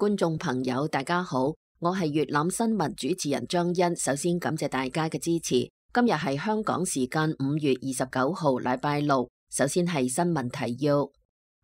觀眾朋友，大家好，我係粵覽新聞主持人張欣。首先感謝大家嘅支持。今日係香港時間5月29號，禮拜六。首先係新聞提要：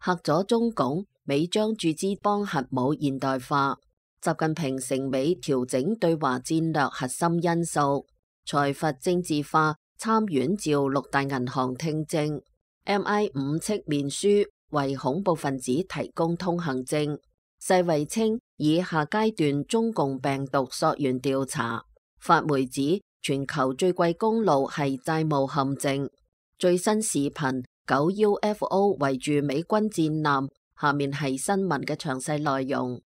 嚇咗中共，美將注資幫核武現代化；習近平成美調整對華戰略核心因素；財閥政治化，參院召六大銀行聽證；MI5戚面書為恐怖分子提供通行證。世衛稱以下階段中共病毒溯源調查。法媒指全球最貴公路係債務陷阱。最新視頻9 UFO 圍住美軍戰艦。下面係新聞嘅詳細內容。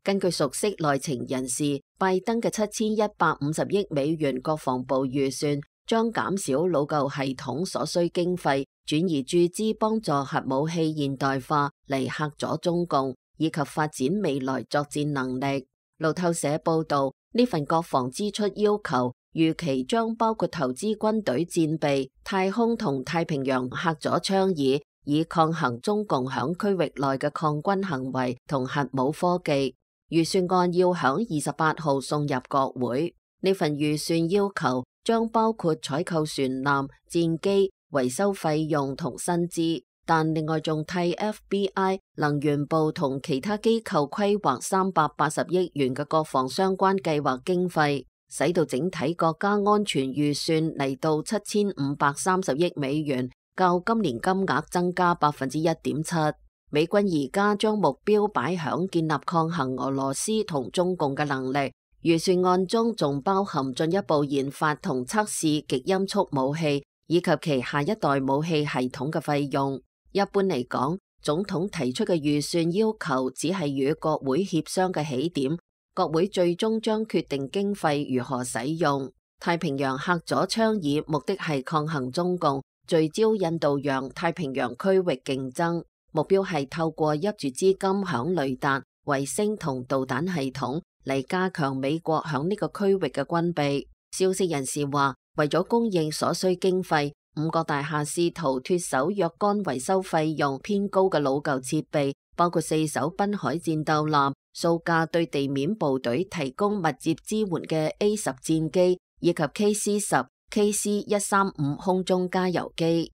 根據熟悉內情人士，拜登嘅7150億美元國防部預算將減少老舊系統所需經費，轉移注資幫助核武器現代化嚟嚇阻中共，以及發展未來作戰能力。路透社報道，呢份國防支出要求預期將包括投資軍隊戰備、太空同太平洋嚇阻倡議，以抗衡中共響區域內嘅抗軍行為同核武科技。預算案要響28號送入國會。呢份預算要求將包括採購船艦、戰機、維修費用同薪資，但另外仲替 FBI、能源部同其他機構規劃380億元嘅國防相關計劃經費，使到整體國家安全預算嚟到7530億美元，較今年金額增加1.7%。美軍而家將目標擺響建立抗衡俄羅斯同中共嘅能力。預算案中仲包含進一步研發同測試極音速武器以及其下一代武器系統嘅費用。一般嚟講，總統提出嘅預算要求只係與國會協商嘅起點，國會最終將決定經費如何使用。太平洋嚇阻倡議目的係抗衡中共，聚焦印度洋、太平洋區域競爭，目標係透過挹注資金響雷達、衛星同導彈系統嚟加強美國響呢個區域嘅軍備。消息人士話，為咗供應所需經費，5個大廈試圖脫手若干維修費用偏高嘅老舊設備，包括4艘濱海戰鬥艦、數架對地面部隊提供密接支援嘅 A10 戰機，以及 KC-10、KC-135空中加油機。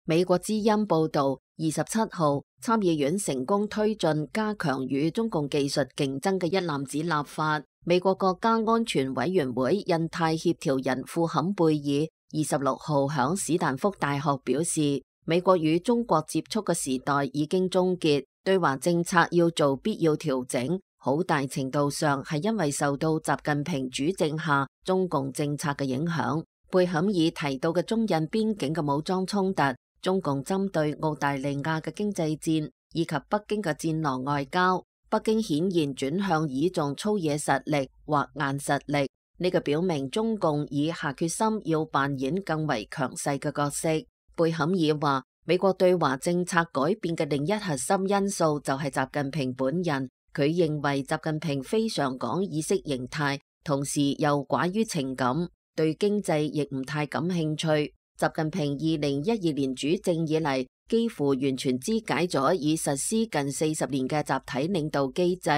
美國之音報道，27號參議院成功推進加強與中共技術競爭嘅一攬子立法。美國國家安全委員會印太協調人庫坎貝爾26號響史丹福大學表示，美國與中國接觸嘅時代已經終結，對華政策要做必要調整，好大程度上係因為受到習近平主政下中共政策嘅影響。貝坎爾提到嘅中印邊境嘅武裝衝突，中共針對澳大利亞嘅經濟戰以及北京嘅戰狼外交，北京顯然轉向倚重粗野實力或硬實力，呢個表明中共已下決心要扮演更為強勢嘅角色。貝坎爾話，美國對華政策改變嘅另一核心因素就係習近平本人，佢認為習近平非常講意識形態，同時又寡於情感，對經濟亦唔太感興趣。習近平2012年主政以嚟，幾乎完全肢解咗已實施近40年嘅集體領導機制，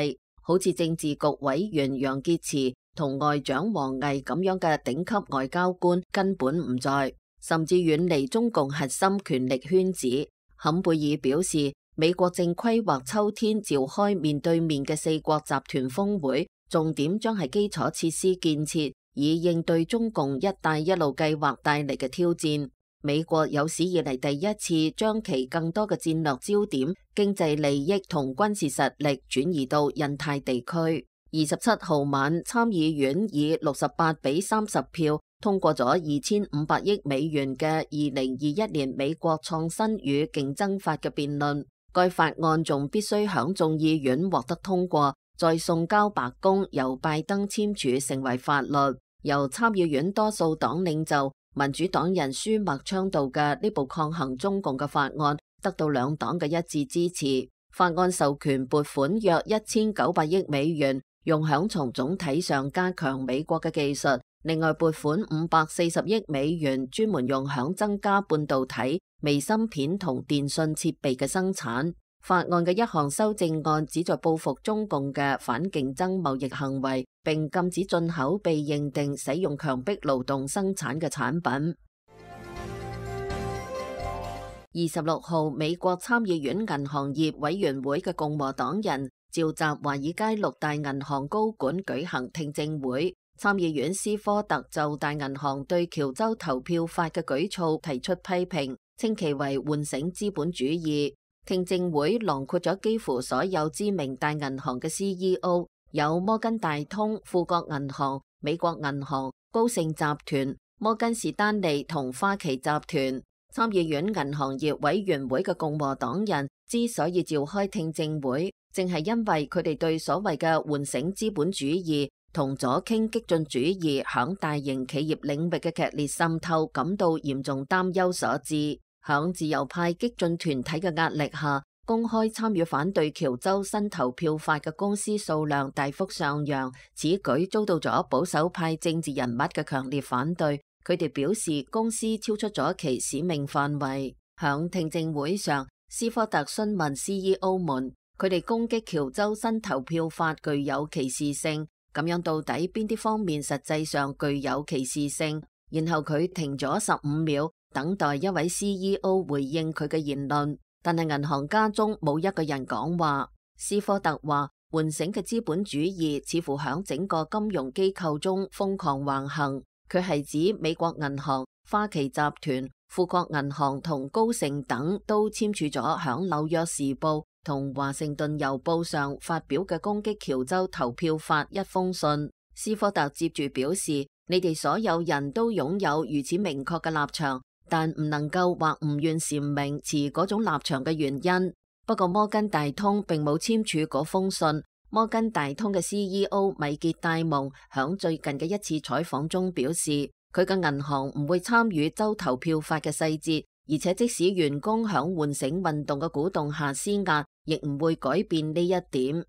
好似政治局委員楊潔篪同外長王毅咁樣嘅頂級外交官根本唔在，甚至遠離中共核心權力圈子。坎貝爾表示，美國正規劃秋天召開面對面嘅4國集團峰會，重點將係基礎設施建設，以應對中共一帶一路計劃帶嚟嘅挑戰。美國有史以嚟第一次將其更多嘅戰略焦點、經濟利益同軍事實力轉移到印太地區。27號晚，參議院以68-30票通過咗2500億美元嘅2021年美國創新與競爭法嘅辯論。該法案仲必須響眾議院獲得通過，再送交白宮由拜登簽署成為法律。由參議院多數黨領袖民主黨人舒默倡導嘅呢部抗衡中共嘅法案得到兩黨嘅一致支持。法案授權撥款約1900億美元，用響從總體上加強美國嘅技術另外撥款540億美元，專門用響增加半導體、微芯片同電信設備嘅生產。法案嘅一項修正案旨在報復中共嘅反競爭貿易行為，並禁止進口被認定使用強迫勞動生產嘅產品。26號，美國參議院銀行業委員會嘅共和黨人召集華爾街6大銀行高管舉行聽證會。參議院斯科特就大銀行對喬州投票法嘅舉措提出批評，稱其為喚醒資本主義。聽證會囊括咗幾乎所有知名大銀行嘅 CEO， 有摩根大通、富國銀行、美國銀行、高盛集團、摩根士丹利同花旗集團。參議院銀行業委員會嘅共和黨人之所以召開聽證會，正係因為佢哋對所謂嘅喚醒資本主義同左傾激進主義響大型企業領域嘅劇烈滲透感到嚴重擔憂所致。響自由派激進團體嘅壓力下，公開參與反對喬州新投票法嘅公司數量大幅上揚，此舉遭到咗保守派政治人物嘅強烈反對。佢哋表示公司超出咗其使命範圍。響聽證會上，斯科特詢問 CEO 們，佢哋攻擊喬州新投票法具有歧視性，咁樣到底邊啲方面實際上具有歧視性？然後佢停咗15秒，等待一位 CEO 回應佢嘅言論，但係銀行家中冇一個人講話。斯科特話，喚醒嘅資本主義似乎響整個金融機構中瘋狂橫行。佢係指美國銀行、花旗集團、富國銀行同高盛等都簽署咗響紐約時報同華盛頓郵報上發表嘅攻擊喬州投票法一封信。斯科特接住表示，你哋所有人都擁有如此明確嘅立場，但唔能夠或唔願闡明持嗰種立場嘅原因。不過摩根大通並冇簽署嗰封信。摩根大通嘅 CEO 米傑戴蒙響最近嘅一次採訪中表示，佢嘅銀行唔會參與州投票法嘅細節，而且即使員工響喚醒運動嘅鼓動下施壓，亦唔會改變呢一點。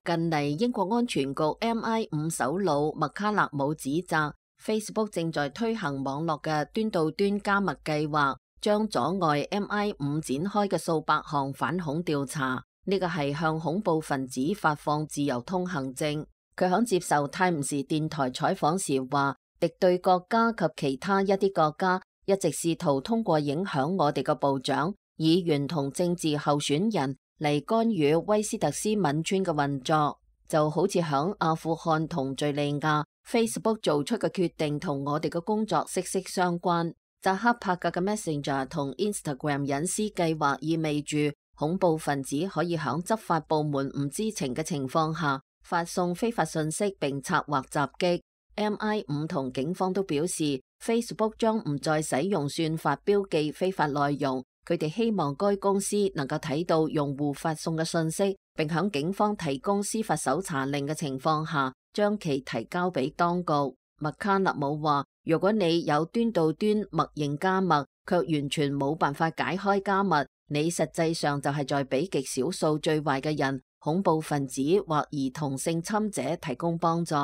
近嚟英國安全局 MI5 首腦麥卡勒姆指責 Facebook 正在推行網絡嘅端到端加密計劃，將阻礙 MI5 展開嘅數百項反恐調查。呢個係向恐怖分子發放自由通行證。佢響接受泰晤士電台採訪時話，敵對國家及其他一啲國家一直試圖通過影響我哋嘅部長、議員同政治候選人嚟干預威斯特斯敏村嘅運作，就好似響阿富汗同敘利亞 Facebook 做出嘅決定同我哋嘅工作息息相關。扎克伯格嘅 Messenger 同 Instagram 隱私計劃意味住恐怖分子可以響執法部門唔知情嘅情況下發送非法信息並策劃襲擊。MI5 同警方都表示 Facebook 將唔再使用算法標記非法內容，佢哋希望該公司能夠睇到用戶發送嘅信息，並響警方提供司法搜查令嘅情況下將其提交俾當局。麥卡勒姆話，如果你有端到端默認加密，卻完全冇辦法解開加密，你實際上就係在俾極少數最壞嘅人、恐怖分子或兒童性侵者提供幫助。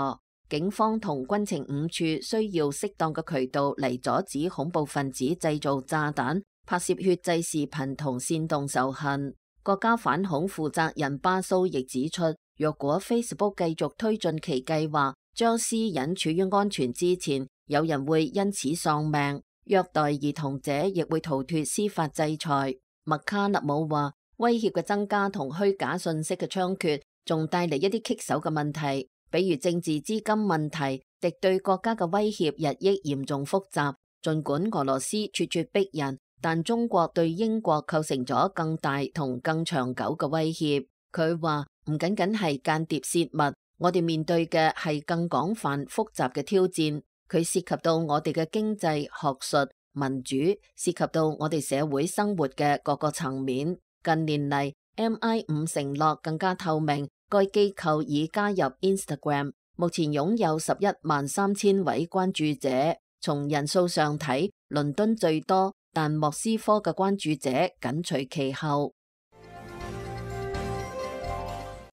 警方同軍情五處需要適當嘅渠道嚟阻止恐怖分子製造炸彈、拍攝血祭視頻同煽動仇恨。國家反恐負責人巴蘇亦指出，若果 Facebook 繼續推進其計劃，將私隱處於安全之前，有人會因此喪命，虐待兒童者亦會逃脫司法制裁。麥卡勒姆話，威脅嘅增加同虛假信息嘅猖獗，仲帶嚟一啲棘手嘅問題，比如政治資金問題，敵對國家嘅威脅日益嚴重複雜。儘管俄羅斯咄咄逼人，但中國對英國構成咗更大同更長久嘅威脅。佢話唔僅僅係間諜泄密，我哋面對嘅係更廣泛複雜嘅挑戰。佢涉及到我哋嘅經濟、學術、民主，涉及到我哋社會生活嘅各個層面。近年嚟 MI5 承諾更加透明，該機構已加入 Instagram， 目前擁有113000位關注者。從人數上睇，倫敦最多，但莫斯科嘅關注者緊隨其後。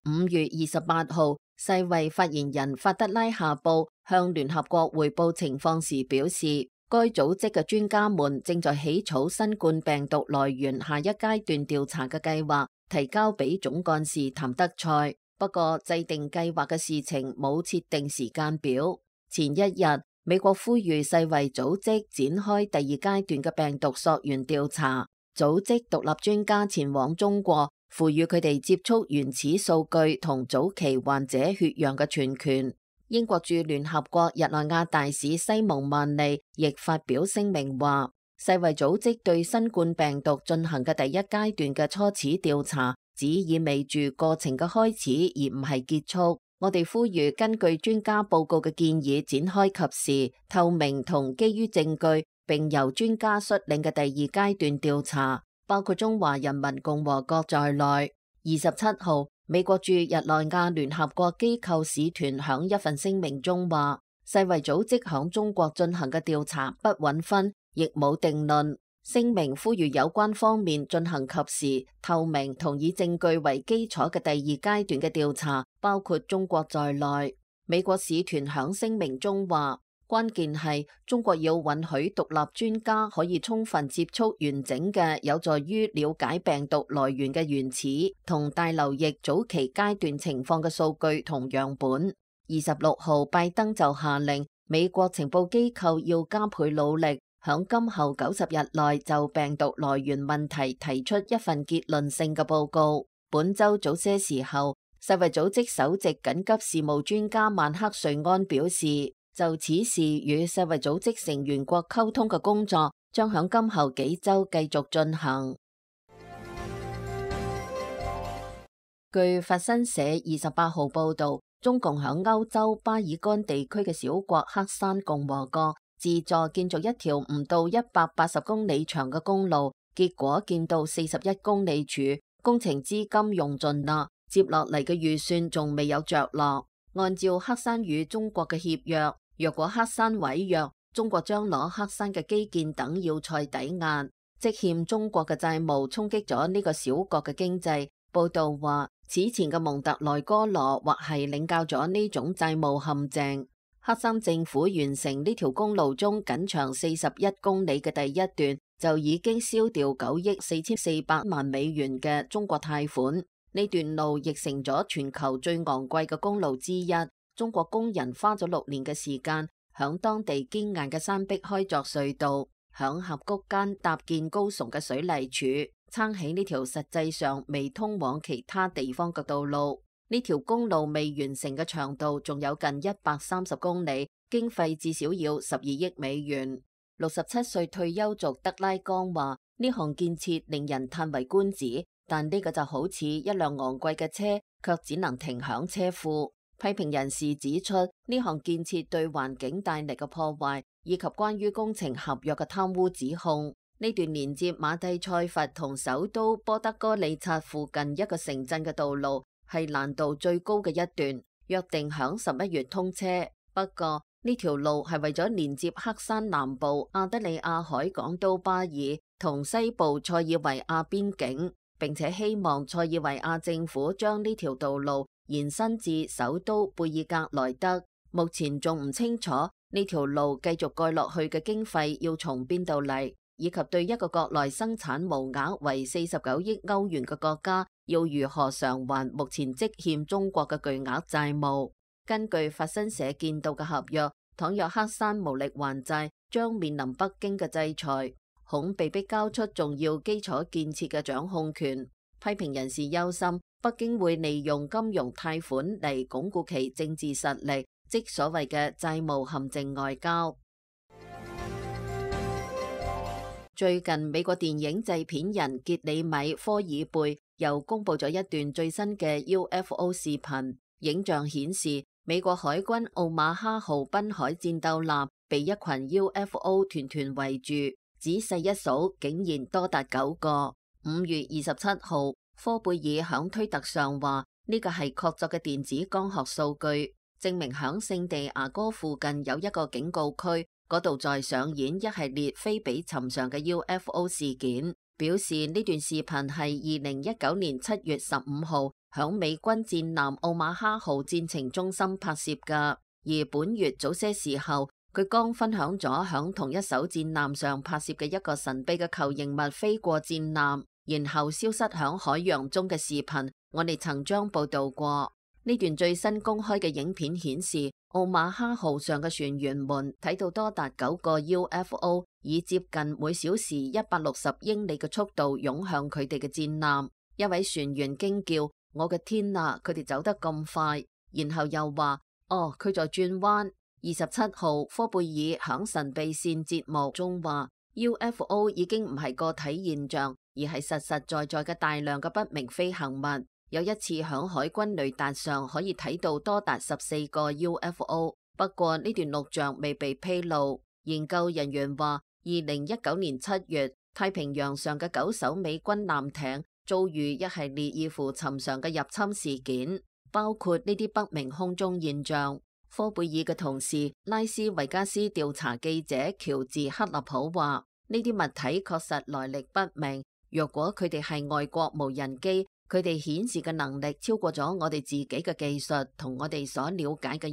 5月28號，世衛發言人法德拉夏布向聯合國匯報情況時表示，該組織嘅專家們正在起草新冠病毒來源下一階段調查嘅計劃，提交俾總幹事譚德塞。不過，制定計劃嘅事情冇設定時間表。前一日，美國呼籲世衛組織展開第二階段嘅病毒溯源調查，組織獨立專家前往中國，賦予佢哋接觸原始數據同早期患者血樣嘅全權。英國駐聯合國日內瓦大使西蒙曼利亦發表聲明話，世衛組織對新冠病毒進行嘅第一階段嘅初始調查，只意味住過程嘅開始，而唔係結束。我哋呼籲根據專家報告嘅建議展開及時、透明同基於證據，並由專家率領嘅第二階段調查，包括中華人民共和國在內。27號，美國駐日內瓦聯合國機構使團響一份聲明中話，世衛組織響中國進行嘅調查不允分，亦冇定論。聲明呼籲有關方面進行及時、透明同以證據為基礎嘅第二階段嘅調查，包括中國在內。美國使團響聲明中話，關鍵係中國要允許獨立專家可以充分接觸完整嘅有助於了解病毒來源嘅原始同大流疫早期階段情況嘅數據同樣本。26號，拜登就下令美國情報機構要加倍努力，響今後90日內就病毒來源問題提出一份結論性嘅報告。本周早些時候，世衛組織首席緊急事務專家曼克瑞安表示，就此事與世衛組織成員國溝通嘅工作將響今後幾周繼續進行。據法新社28號報道，中共響歐洲巴爾幹地區嘅小國黑山共和國自助建造一條唔到180公里長嘅公路，結果建到41公里處，工程資金用盡啦，接落嚟嘅預算仲未有着落。按照黑山與中國嘅協約，若果黑山違約，中國將攞黑山嘅基建等要塞抵押，積欠中國嘅債務衝擊咗呢個小國嘅經濟。報道話，此前嘅蒙特內哥羅或係領教咗呢種債務陷阱。黑山政府完成呢條公路中僅長41公里嘅第一段，就已經燒掉9億4400萬美元嘅中國貸款。呢段路亦成咗全球最昂貴嘅公路之一。中國工人花咗6年嘅時間，響當地堅硬嘅山壁開鑿隧道，響峽谷間搭建高聳嘅水泥柱，撐起呢條實際上未通往其他地方嘅道路。呢條公路未完成嘅長度仲有近130公里，經費至少要12億美元。67歲退休族德拉岡話：呢項建設令人嘆為觀止，但呢個就好似一輛昂貴嘅車，卻只能停響車庫。批評人士指出，呢項建設對環境帶嚟嘅破壞，以及關於工程合約嘅貪污指控。呢段連接馬蒂塞佛同首都波德哥里察附近一個城鎮嘅道路，係難度最高嘅一段，約定響11月通車。不過呢條路係為咗連接黑山南部阿德里亞海港都巴爾同西部塞爾維亞邊境，並且希望塞爾維亞政府將呢條道路延伸至首都貝爾格萊德。目前仲唔清楚呢條路繼續蓋落去嘅經費要從邊度嚟，以及對一個國內生產毛額為49億歐元嘅國家要如何償還目前積欠中國嘅巨額債務。根據法新社見到嘅合約，倘若黑山無力還債，將面臨北京嘅制裁，恐被迫交出重要基礎建設嘅掌控權。批評人士憂心，北京會利用金融貸款嚟鞏固其政治實力，即所謂嘅債務陷阱外交。最近，美國電影製片人傑里米科爾貝又公布咗一段最新嘅 UFO 視頻，影像顯示美國海軍奧馬哈號濱海戰鬥艦被一群 UFO 團團圍住，仔細一數竟然多達9個。5月27號，科貝爾響推特上話呢個係確鑿嘅電子光學數據，證明響聖地牙哥附近有一個警告區，嗰度在上演一系列非比尋常嘅 UFO 事件。表示呢段視頻係2019年7月15號響美軍戰艦奧馬哈號戰情中心拍攝㗎。而本月早些時候，佢剛分享咗響同一艘戰艦上拍攝嘅一個神秘嘅球形物飛過戰艦，然後消失響海洋中嘅視頻，我哋曾將報道過。呢段最新公開嘅影片顯示，奧馬哈號上嘅船員們睇到多達9個 UFO 以接近每小時160英里嘅速度湧向佢哋嘅戰艦。一位船員驚叫：我嘅天啊，佢哋走得咁快！然後又話：哦，佢在轉彎。27號，科貝爾響神秘線節目中話 UFO 已經唔係個體現象，而係實實在在嘅大量嘅不明飛行物。有一次響海軍雷達上可以睇到多達14個 UFO， 不過呢段錄像未被披露。研究人員話2019年7月，太平洋上嘅9艘美軍艦艇遭遇一系列異乎尋常嘅入侵事件，包括呢啲不明空中現象。科貝爾嘅同事拉斯維加斯調查記者喬治克納普話：呢啲物體確實來歷不明，若果佢哋係外國無人機，佢哋顯示嘅能力超過咗我哋自己嘅技術同我哋所了解嘅一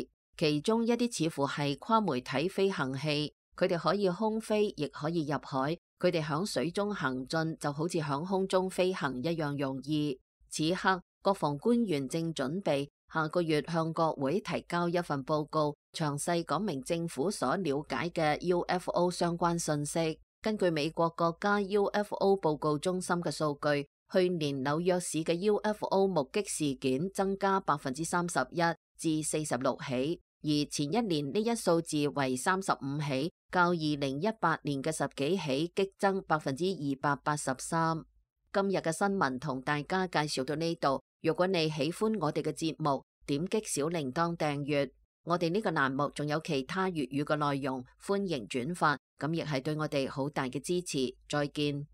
切。其中一啲似乎係跨媒體飛行器，佢哋可以空飛，亦可以入海。佢哋響水中行進就好似響空中飛行一樣容易。此刻，國防官員正準備下個月向國會提交一份報告，詳細講明政府所了解嘅 UFO 相關信息。根據美國國家 UFO 報告中心嘅數據，去年紐約市嘅 UFO 目擊事件增加31%至46起，而前一年呢一數字為35起，較2018年嘅10幾起激增283%。今日嘅新聞同大家介紹到呢度。如果你喜歡我哋嘅節目，點擊小鈴鐺訂閱。我哋呢個欄目仲有其他粵語嘅內容，歡迎轉發，咁亦係對我哋好大嘅支持。再見。